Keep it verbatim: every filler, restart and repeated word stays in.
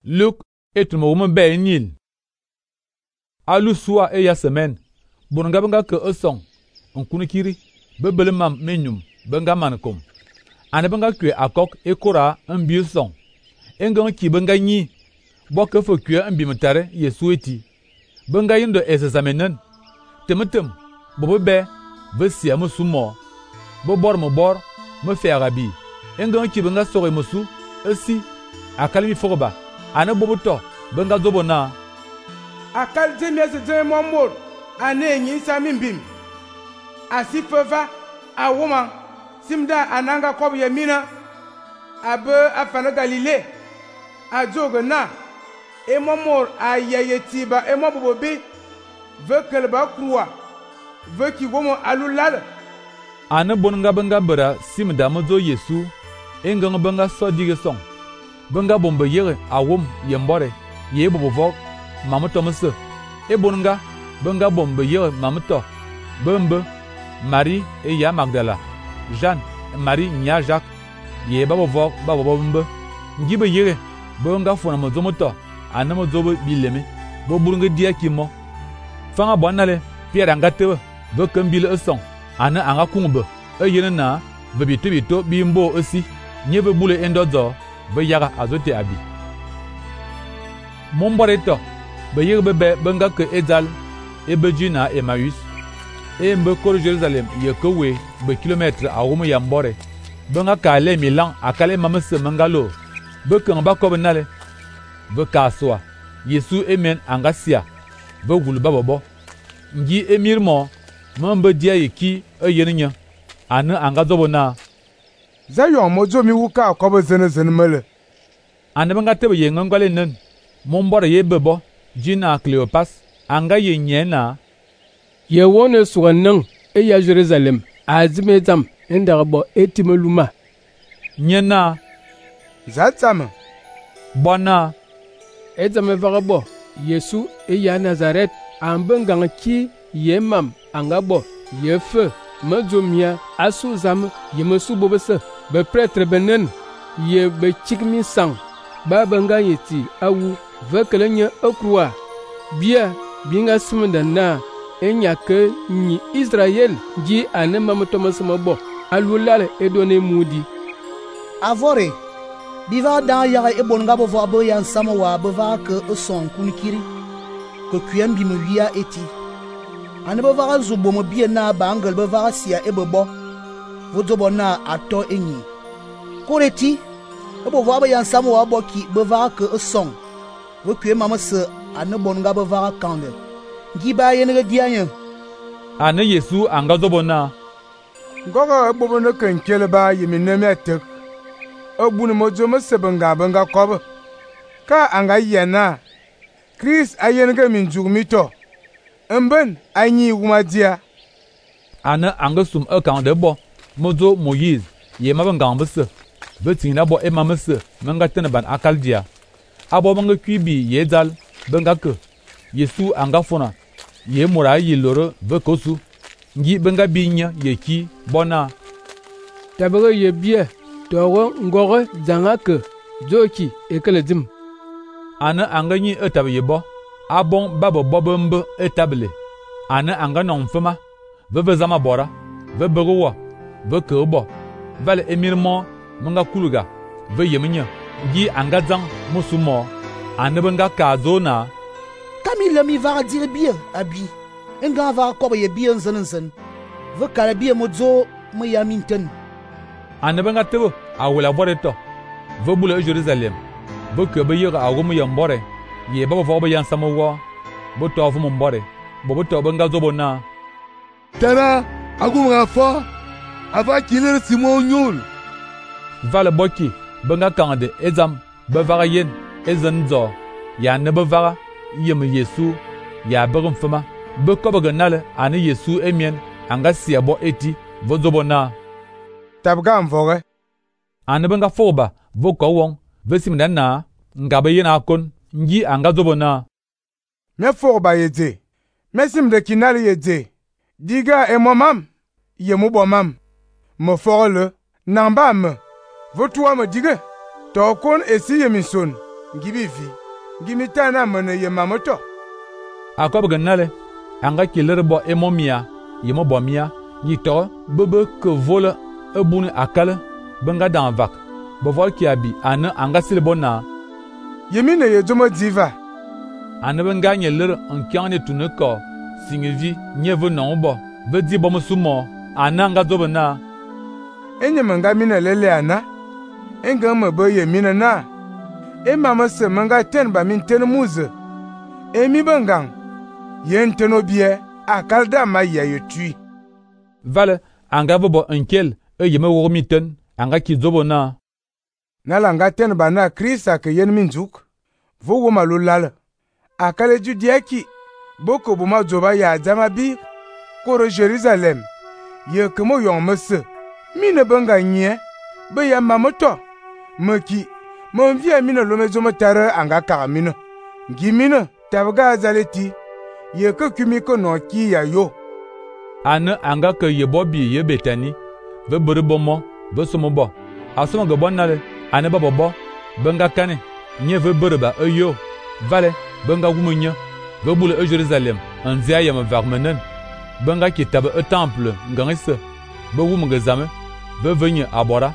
Luc et mo mo be nil. Alu soa e ya semaine. Bonga benga ke esong. On kunu kiri. Bebele mam menyum. Benga mankom. Ane benga kwe akok e kora mbi song. Engan ki benga nyi. Boke fo kwe mbi mtare Yesu eti. Benga yindo ese zamenen. Temetem. Bobo be. Ve siya musu mo. Bo bor mo bor. Me fe arabi. Engan ki benga sore musu. Esi. Akalimi fogoba. Ane bobo to. Benga zobo na. Akal jemye se jemye mwambor. Ane nyi sami mbim. Asi feva. A woman. Simda ananga kob yemina. Abe afana Galile. A joge na. E mwambor a yaye tiba. E mwambobo bi. Ve keleba kruwa. Ve ki womo alulal. Ane bonga benga bera simda mozo Yesu. Engang benga so dige song. Benga bombe yere a wom yembore. Ye bobo vok. Mamuto mese. E bonga benga bombe yere mamuto. Bembe. Marie et ya Magdala. Jeanne, Marie nya Jacques. Ye babo vok babo bombe. Ngibe yere. Benga fona mozo moto. Ane mozo bileme. Bo burunge dia kimo. Fanga bonale. Pierre angatewe. Ve kembile esong. Ane anga kungbe. E yene na. Ve bito bito bimbo esi. Nye ve bule endozo. Ve yaga azote abi. Mombore to. Be yere bebe benga ke Ezal. Ebe jina Emmaüs. E mbe koro Jerusalem ye kowe be kilometre a wumu ya mbore. Benga ka le milan akale mamese mangalo. Be kan ba ko benale. Be ka soa. Yesu emen angasia. Be wulu babobo. Ngi emir mo. Mambe dia yeki e yeninya. Ane anga zobo na. Zayon mojo mi wuka ko be zene zene mele. Ane benga tebe ye ngangale nen. Mombore ye bebo. Jina Cleopas. Anga ye nyena. Ye wone suwanang e ya Jerusalem azime zam indarbo etimeluma nyena zatsam bona ezame varabo Yesu e ya Nazaret ambengang ki yemam angabo yefe mazomia asu zam yemesu bobese be prêtre benen ye be chikmi sang babanga yeti awu vekelenya okrua bia binga simda na enya ke ni Israel ji ane mamutomas mabo alulale edone mudi avore biva da ya e bonga bo vo yan samawa bava ke son kunikiri ko kuyam bi mwiya eti ane bava zubo mo bie na bangal bava sia e bebo vodobo na ato enyi koreti e bo vo yan samawa bo ki bava ke son wo kuyam mamase ane bonga bava kande giba yenega dianya ane Yesu anga zobo na gogo bobo no kenkele ba yemine metek obunu mojo mesebenga benga kob ka anga yena Chris ayenega minjugmito emben anyi wumadia ane anga sum e kan de bo mozo Moïse ye mabenga mbese betina bo e mamese menga tene ban akaldia abo benga kwibi yedal benga ke Yesu anga fona ye mura yi loro ve kosu ngi benga binya ye ki bona tabaga ye bie togo ngogo zangake zoki ekeledim ana anga nyi etabe ye bo abon babo bobombe etable ana anga non fema ve ve zama bora ve begowa ve kobo vale emirmo munga kuluga ve yeminya ngi anga zang musumo ana benga kazona Kamile mi va dire bien abi enga va ko ye bien zan zan ve kala bien mozo mo ya minten ane benga tebo awula bore to ve bule Jerusalem ve ke be yega awu mo yambore ye baba fo be yan samowo bo to fu mo mbore bo bo to benga zobo na tara agu nga fo ava kiler simon nyul vale boki benga kande ezam be vaga yen ezen zo ya ne be vaga yem Yesu ya begum fema be ko be nale ane Yesu emien anga sia bo eti vozobo na tabga mvoge ane benga foba vo ko won vesim dan na ngabe yena kon ngi anga zobo na me foba yede mesim de kinali yede diga e momam ye mu bomam mo forle namba me votua me diga to kon esi yemison ngibi vi ngimi tana mene ye mamoto a ko be nale anga kiler bo emomia yemo bomia yito bebe ke vola ebuni akale benga dan vak bo vol ki abi ana anga silbona yemine ye jomo diva ana benga nyeler enkyane tuneko singivi nyeve non bo be di bo musumo ana anga zobena enye manga mina lele ana enga me be ye mina na e mama se manga ten ba min ten muze emi bengang yen teno bie akalda ma ya yetui vale anga bo enkel e yeme wo miten anga ki zobona nalanga ten ba na krista ke yen min juk vo wo malulala akale judiaki boko buma zoba ya jama bi koro Jerusalem ye kemo yong mese mine benga nye be ya mamoto meki mon via mine lo mezo motare anga ka mine ngimine tabga zaleti ye ke kumi ko no ki ya yo ana anga ke ye bobi ye betani ve bere bomo ve somo bo asomo go bonale ana babo bo benga kane nye ve bere ba eyo vale benga gumunya ve bule e Jerusalem anzia yam varmenen benga ki tabe e temple ngangese be wumge zame ve venye abora